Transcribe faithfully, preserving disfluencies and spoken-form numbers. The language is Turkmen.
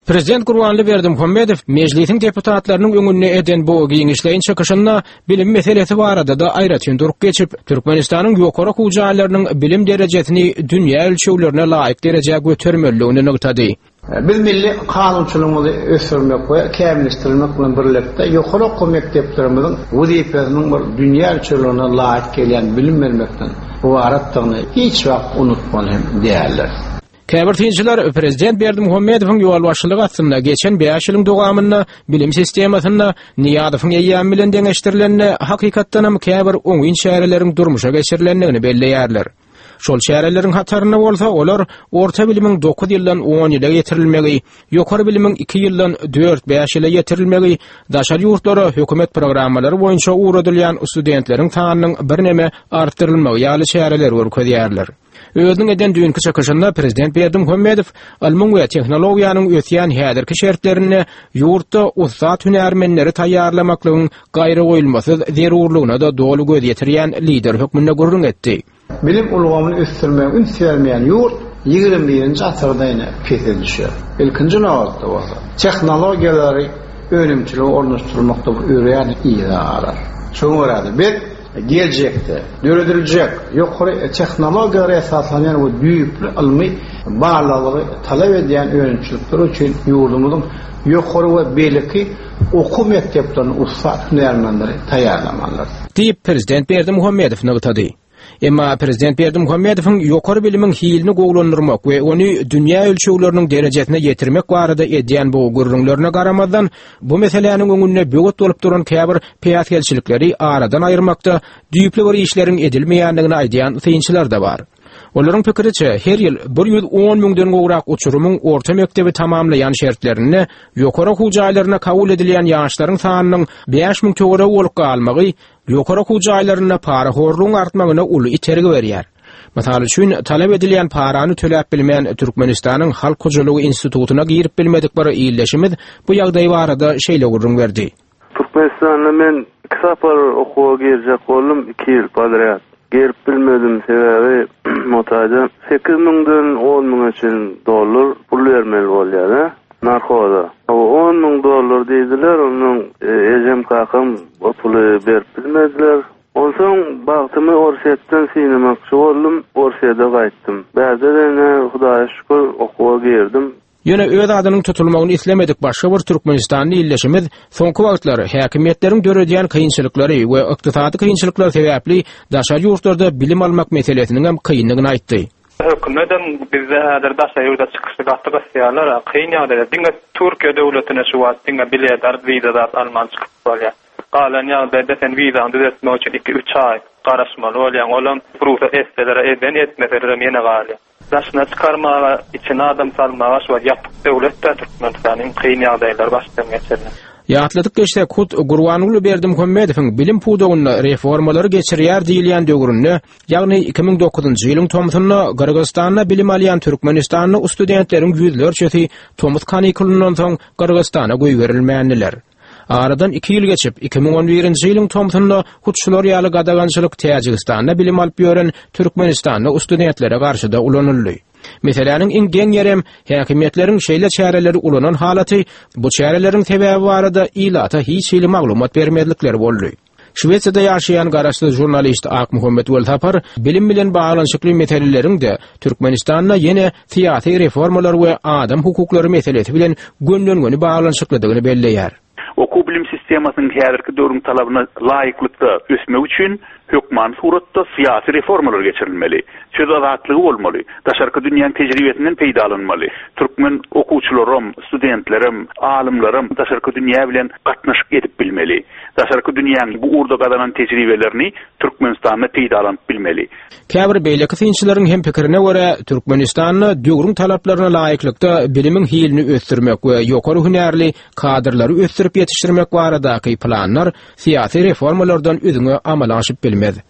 Prezident Gurbanguly Berdimuhamedow Mejlisiň deputatlarynyň öňünde eden bu giňişleýin çykyşynda bilim meselesi barada-da aýratyn durup geçip, Türkmenistanyň ýokary okuw jaýlarynyň bilim derejesini dünýä ölçeglerine laýyk derejä götermelidigini nygtady. Biz milli kanunçylygymyzy ösdürmek we kämilleşdirmek bilen birlikde ýokary okuw mekdeplerimiziň wezipesiniň bir dünýä ölçeglerine laýyk gelýän bilim bermekden ybaratdygyny hiç wagt unutmaly hem däldir. Käbir synçylar prezident Berdimuhamedowyň ýolbaşçylygy astynda geçen bäş ýylyň dowamynda bilim sistemasynda Nyýazowyň eýýamy bilen deňeşdirilende hakykatdanam käbir oňyn çäreleriň durmuşa geçirilendigini belleýärler. Şol çäreleriň hatarynda bolsa olar orta bilimiň dokuz ýyldan on ýyla ýetirilmegi, ýokary bilimiň iki ýyldan dört-bäş ýyla ýetirilmegi, daşary ýurtlara hökümet programmalary boýunça ugradylýan studentleriň sanynyň birneme artdyrylmagy ýaly çäreleri görkezýärler. Özüniň eden düýnki çykyşynda prezident Berdimuhamedow ylmyň we tehnologiýanyň ösýän häzirki şertlerinde ýurtda ussat hünärmenleri taýýarlamaklygyň gaýragoýulmasyz zerurlygyna-da doly göz ýetirýän lider hökmünde gürrüň etdi. Bilim ulgamyny ösdürmäge üns bermeýän ýurt ýigrimi birinji asyrda ýene pese düşýär. Ilkinji nobatda bolsa tehnologiýalary önümçilige ornaşdyrmakda bu örän yza galar. Şoňa görä-de biz geljekde dörediljek ýokary tehnologiýalara esaslanýan we düýpli ylmy barlaglary talap edýän önümçilikler üçin ýurdumyzyň ýokary we beýleki okuw mekdeplerini ussat hünärmenleri taýýarlamalydyr. Diýip, prezident Berdimuhamedow nygtady. Emma prezident Berdimuhamedowyň ýokary bilimiň hilini gowulandyrmak we ony dünýä ölçegleriniň derejesine ýetirmek barada edýän bu gürrüňlerine garamazdan, bu meseläniň öňünde böwet bolup duran käbir päsgelçilikleri aradan aýyrmakda düýpli bir işleriň edilmeýändigini aýdýan synçylar da bar. Olaryň pikiriçe, her ýyl bir ýüz on müňden gowrak uçurymyň orta mekdebi tamamlaýan şertlerinde ýokary okuw jaýlaryna kabul edilýän ýaşlaryň sanynyň bäş müň töweregi bolup galmagy ýokary okuw jaýlarynda parahorlugyň artmagyna uly itergi berýär. Mysal üçin, talap edilýän parany töläp bilmän Türkmenistanyň Halk hojalygy institutyna girip bilmedik bir illeşimiz bu ýagdaý barada şeýle gürrüň berdi. Türkmenistanda men iki sapar okuwa girjek boldum, iki ýyl podrýad. Girip bilmedim, sebäbi motaýda sekiz müňden on müňe çenli dollar pul bermeli bolýar, ha? Narkoza. O on müň dollar diýdiler, ondan, e, ejem kakam o puly berip bilmediler. Onsoň bagtymy Orsýetden synamakçy boldum, Orsýete gaýtdym. Bärde ýene Hudaýa şükür okuwa girdim. Ýöne öz adynyň tutulmagyny islemedik başga bir Türkmenistanly illeşimiz soňky wagtlar häkimiýetleriň döredýän kynçylyklary we ykdysady kynçylyklar sebäpli daşary ýurtlarda bilim almak meselesiniň hem kyndygyny aýtdy. Hökümetem bizde häzir daşary ýurda çykyşy gaty gysýarlar, kyn ýagdaýda diňe Türkiýe döwletine şu wagt diňe bilet alyp wiza zat alman çykyp bolýar. Galan ýagdaýda sen wizaňy düzetmek üçin iki-üç aý garaşmaly bolýaň. Olam rugsat etseler, eden etmeseler hem ýene galýar. Daşyna çykarmaga, içine adam salmaga şu wagt ýapyk döwlet-de Türkmenistanyň kyn ýagdaýlary başdan geçirdi. Ýatladyk geçsek, hut Gurbanguly Berdimuhamedowyň bilim pudagynda reformalary geçirýär diýilýän döwründe, ýagny iki müň dokuzynjy ýylyň tomsunda Gyrgyzystanda bilim alýan Türkmenistanda studentleriň ýüzlerçesi tomus kanikulyndan soň Gyrgyzystana goýberilmändiler. Aradan iki ýyl geçip, iki müň on birinji ýylyň tomsunda hut şular ýaly gadagançylyk Täjigistanda bilim alyp ýören Türkmenistanda studentlere garşyda ulanyldy. Meseläniň iň geň ýerem häkimiýetleriň şeýle çäreleri ulanan halaty bu çäreleriň sebäbi barada ilata hiç hili maglumat bermezlikleri boldy. Şwesiýada ýaşaýan garaşsyz žurnalist Akmuhammet Welsapar bilim bilen baglanyşykly meseleleriň de Türkmenistanda ýene syýasy reformalar we adam hukuklary meselesi bilen gönden-göni baglanyşyklydygyny belleýär. Okuw bilim sistemasynyň häzirki döwrüň talabyna laýyklykda ösmek üçin hökman suratda syýasy reformalar geçirilmeli. Söz azatlygy bolmaly, daşarky dünýäniň tejribesinden peýdalanmaly. Türkmen okuwçylarym, studentlerim, alymlarym daşarky dünýä bilen gatnaşyk edip bilmeli. Daşarky dünýäniň bu ugurda gazanan tejribelerini Türkmenistanda peýdalanyp bilmeli. Käbir beýleki synçylaryň hem pikirine görä, Türkmenistanda döwrüň talaplaryna laýyklykda bilimiň hilini ösdürmek we ýokary hünärli kadrlary ösdürip ýetişdirmek baradaky planlar syýasy reformalardan üzňe amala aşyp bilmez.